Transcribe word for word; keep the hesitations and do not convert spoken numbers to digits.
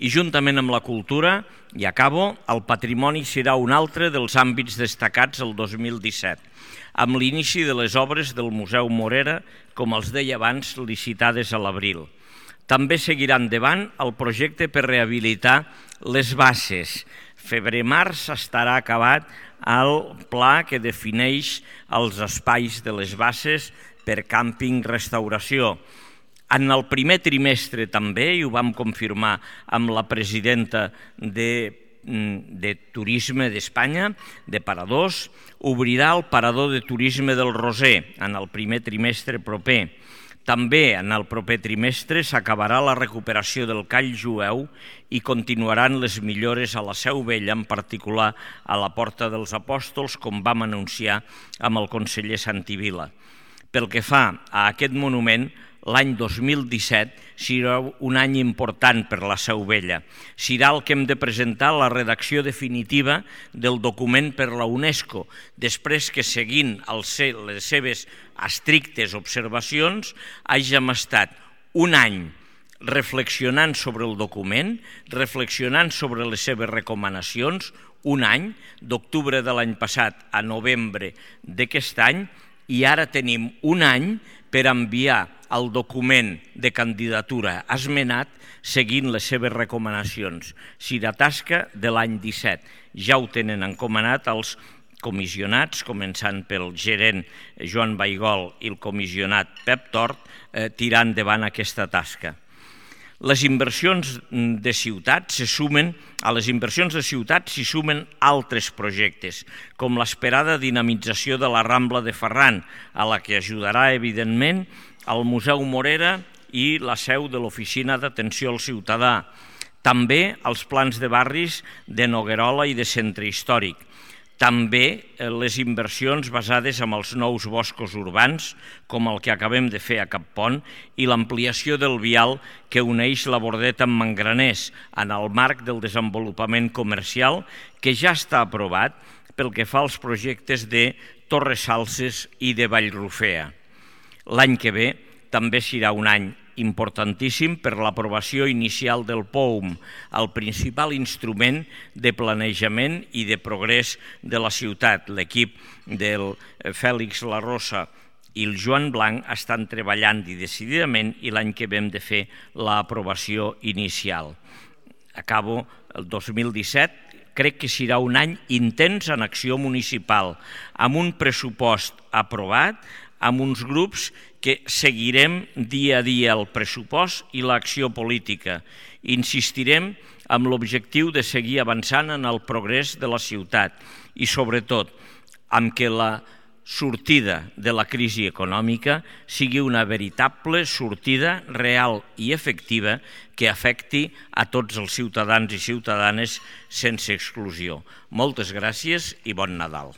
I juntament amb la cultura, i acabo, el patrimoni serà un altre dels àmbits destacats el dos mil disset, amb l'inici de les obres del Museu Morera, com els deia abans, licitades a l'abril. També seguirà endavant el projecte per rehabilitar les basses. Febrer-març estarà acabat el pla que defineix els espais de les basses per càmping-restauració. En el primer trimestre també, i ho vam confirmar amb la presidenta de, de Turisme d'Espanya, de Paradors, obrirà el Parador de Turisme del Roser en el primer trimestre proper. També en el proper trimestre s'acabarà la recuperació del Call Jueu i continuaran les millores a la Seu Vella, en particular a la Porta dels Apòstols, com vam anunciar amb el conseller Santivila. Pel que fa a aquest monument, l'any dos mil disset serà un any important per la Seu Vella. Serà el que hem de presentar la redacció definitiva del document per la UNESCO, després que, seguint les seves estrictes observacions, hàgim estat un any reflexionant sobre el document, reflexionant sobre les seves recomanacions, un any, d'octubre de l'any passat a novembre d'aquest any, i ara tenim un any per enviar el document de candidatura esmenat seguint les seves recomanacions. Serà tasca de l'any disset. Ja ho tenen encomanat els comissionats, començant pel gerent Joan Baigol i el comissionat Pep Tort, eh, tirar endavant aquesta tasca. Les inversions de ciutat se sumen, a les inversions de ciutat s'hi sumen altres projectes, com l'esperada dinamització de la Rambla de Ferran, a la que ajudarà, evidentment, el Museu Morera i la seu de l'Oficina d'Atenció al Ciutadà. També els plans de barris de Noguerola i de Centre Històric. També les inversions basades en els nous boscos urbans, com el que acabem de fer a Cappont, i l'ampliació del vial que uneix la Bordeta amb Mangraners en el marc del desenvolupament comercial, que ja està aprovat pel que fa als projectes de Torresalses i de Vallrufea. L'any que ve també serà un any importantíssim per l'aprovació inicial del P O U M, el principal instrument de planejament i de progrés de la ciutat. L'equip del Fèlix Larrosa i el Joan Blanc estan treballant i decididament i l'any que ve hem de fer l'aprovació inicial. Acabo el dos mil disset. Crec que serà un any intens en acció municipal, amb un pressupost aprovat, amb uns grups que seguirem dia a dia el pressupost i l'acció política. Insistirem amb l'objectiu de seguir avançant en el progrés de la ciutat i, sobretot, amb que la sortida de la crisi econòmica sigui una veritable sortida real i efectiva que afecti a tots els ciutadans i ciutadanes sense exclusió. Moltes gràcies i bon Nadal.